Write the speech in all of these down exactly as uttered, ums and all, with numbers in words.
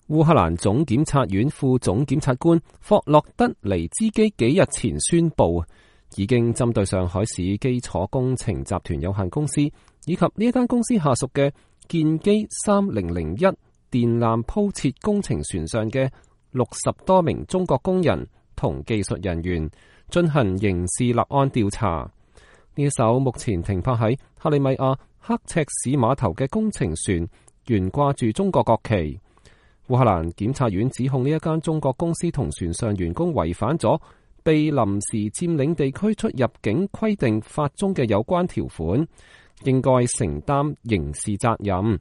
烏克蘭總檢察院副總檢察官霍洛德尼茲基幾日前宣布，已經針對上海市基礎工程集團有限公司以及呢一間公司下屬嘅建機三零零一電纜鋪設工程船上嘅六十多名中國工人同技術人員進行刑事立案調查。呢一艘目前停泊喺克里米亞刻赤市碼頭嘅工程船懸掛住中國國旗。烏克蘭檢察院指控呢一間中國公司同船上員工違反咗被臨時佔領地區出入境規定法中嘅有關條款，應該承擔刑事責任。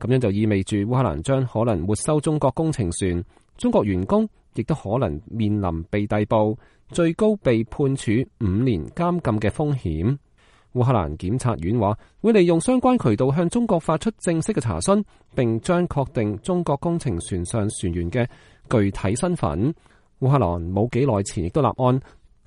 咁樣就意味住烏克蘭將可能沒收中國工程船，中國員工亦都可能面臨被逮捕，最高被判處五年監禁嘅風險。烏克蘭檢察院話會利用相關渠道向中國發出正式嘅查詢，並將確定中國工程船上船員嘅具體身份。烏克蘭冇幾耐前亦都立案，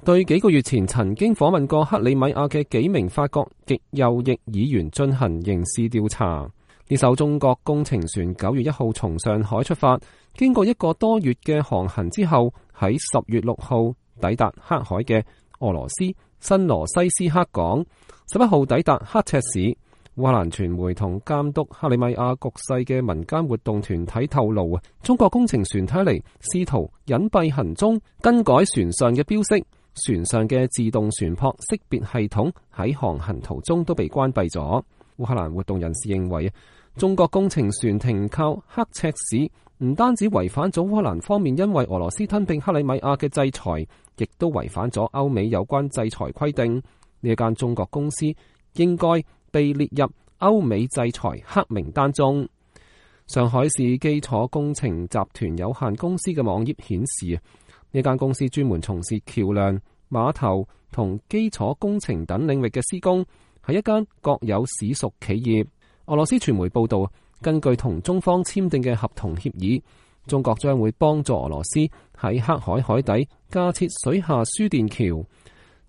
對幾個月前曾經訪問過克里米亞嘅幾名法國極右翼議員進行刑事調查。呢艘中國工程船九月一號從上海出發，經過一個多月嘅航行之後，喺十月六號抵達黑海嘅俄羅斯新羅西斯克港，十一號抵達刻赤市。烏克蘭傳媒同監督克里米亞局勢嘅民間活動團體透露，中國工程船睇嚟試圖隱蔽行蹤，更改船上嘅標識，船上嘅自動船舶識別系統喺航行途中都被關閉咗。烏克蘭活動人士認為，中國工程船停靠刻赤市唔單止違反咗烏克蘭方面因為俄羅斯吞併克里米亞嘅制裁，亦都違反咗歐美有關制裁規定。呢一間中國公司應該被列入歐美制裁黑名單中。上海市基礎工程集團有限公司嘅網頁顯示，呢間公司專門從事橋梁、碼頭同基礎工程等領域嘅施工，係一間國有市屬企業。俄羅斯傳媒報道，根據同中方簽訂嘅合同協議，中國將會幫助俄羅斯喺黑海海底架設水下輸電橋，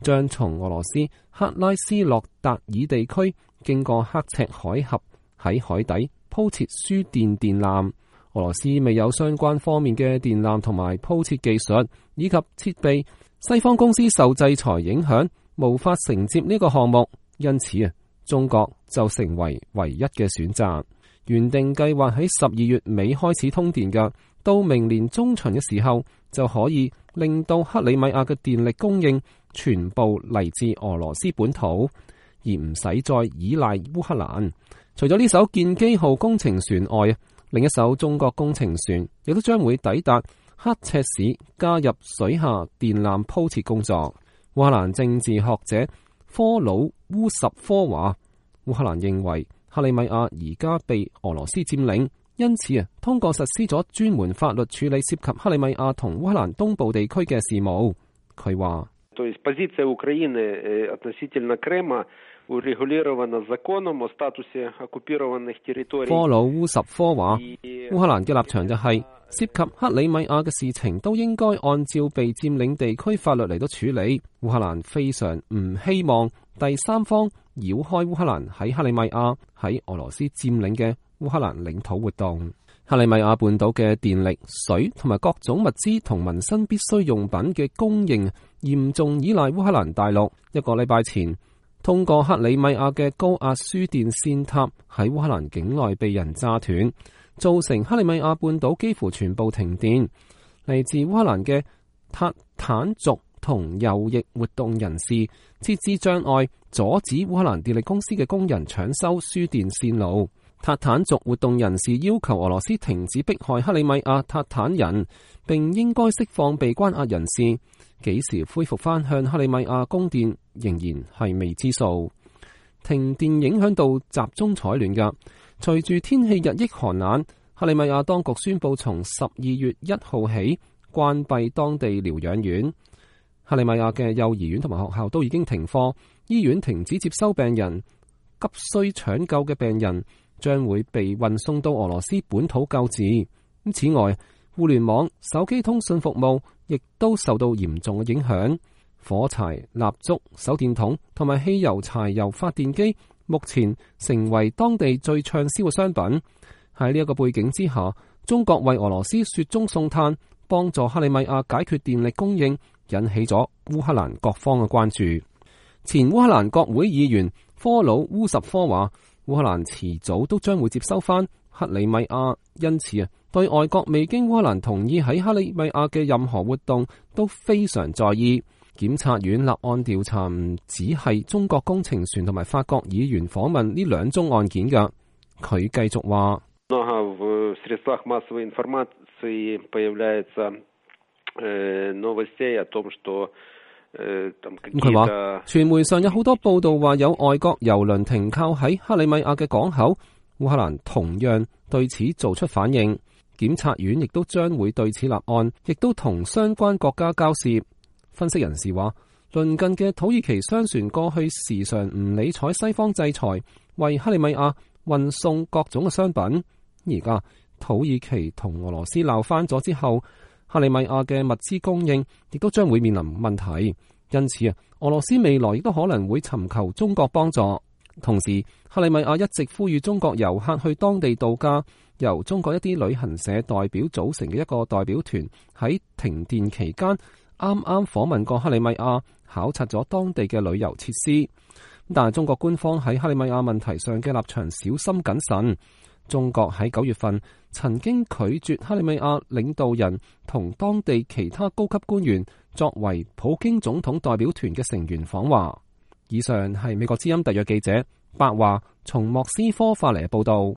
將從俄羅斯克拉斯諾達爾地區經過刻赤海峽喺海底鋪設輸電電纜。俄羅斯未有相關方面嘅電纜同埋鋪設技術以及設備，西方公司受制裁影響，無法承接呢個項目，因此啊，中國就成為唯一嘅選擇。原定計劃喺十二月尾開始通電嘅，到明年中旬嘅時候就可以令到克里米亞嘅電力供應全部嚟自俄羅斯本土，而唔使再依賴烏克蘭。除咗呢艘建機號工程船外，另一艘中國工程船亦都將會抵達刻赤市，加入水下電纜鋪設工作。烏克蘭政治學者科魯烏什科話，烏克蘭認為克里米亞而家被俄羅斯佔領，因此啊，通過實施咗專門法律處理涉及克里米亞同烏克蘭東部地區嘅事務。佢話，科魯烏什科話，烏克蘭嘅立場就係、是、涉及克里米亞嘅事情都應該按照被佔領地區法律嚟到處理。烏克蘭非常唔希望第三方繞開烏克蘭喺克里米亞喺俄羅斯佔領嘅烏克蘭領土活動。克里米亞半島嘅電力、水同埋各種物資同民生必需用品嘅供應嚴重依賴烏克蘭大陸。一個禮拜前，通過克里米亞嘅高壓輸電線塔喺烏克蘭境內被人炸斷，造成克里米亞半島幾乎全部停電。嚟自烏克蘭嘅塔坦族同右翼活動人士設置障礙，阻止烏克蘭電力公司嘅工人搶修輸電線路。塔坦族活動人士要求俄羅斯停止迫害克里米亞塔坦人，並應該釋放被關押人士。幾時恢復返向克里米亞供電仍然係未知數。停電影響到集中採暖㗎。隨住天氣日益寒冷，克里米亞當局宣布從十二月一號起關閉當地療養院。克里米亞嘅幼兒園同埋學校都已經停課，醫院停止接收病人，急需搶救嘅病人將會被運送到俄羅斯本土救治。此外，互聯網、手機通訊服務亦都受到嚴重嘅影響。火柴、蠟燭、手電筒同埋汽油、柴油發電機目前成為當地最暢銷嘅商品。喺呢一個背景之下，中國為俄羅斯雪中送炭，幫助克里米亞解決電力供應，引起咗烏克蘭各方嘅關注。前烏克蘭國會議員科魯烏什科話，烏克蘭遲早都將會接收翻克里米亞，因此啊，對外國未經烏克蘭同意喺克里米亞嘅任何活動都非常在意。檢察院立案調查唔只係中國工程船同埋法國議員訪問呢兩宗案件㗎。佢繼續話：佢話傳媒上有好多報道話有外國油輪停靠喺克里米亞嘅港口，烏克蘭同樣對此做出反應。檢察院亦都將會對此立案，亦都同相關國家交涉。分析人士話，鄰近嘅土耳其商船過去時常唔理睬西方制裁，為克里米亞運送各種嘅商品。而家土耳其同俄羅斯鬧翻咗之後，克里米亞嘅物資供應亦都將會面臨問題。因此啊，俄羅斯未來亦都可能會尋求中國幫助。同時，克里米亞一直呼籲中國遊客去當地度假。由中國一啲旅行社代表組成嘅一個代表團喺停電期間啱啱訪問過克里米亞，考察咗當地嘅旅遊設施。但係中國官方喺克里米亞問題上嘅立場小心謹慎。中國喺九月份曾經拒絕克里米亞領導人同當地其他高級官員作為普京總統代表團嘅成員訪華。以上係美國之音特約記者白華從莫斯科發嚟嘅報道。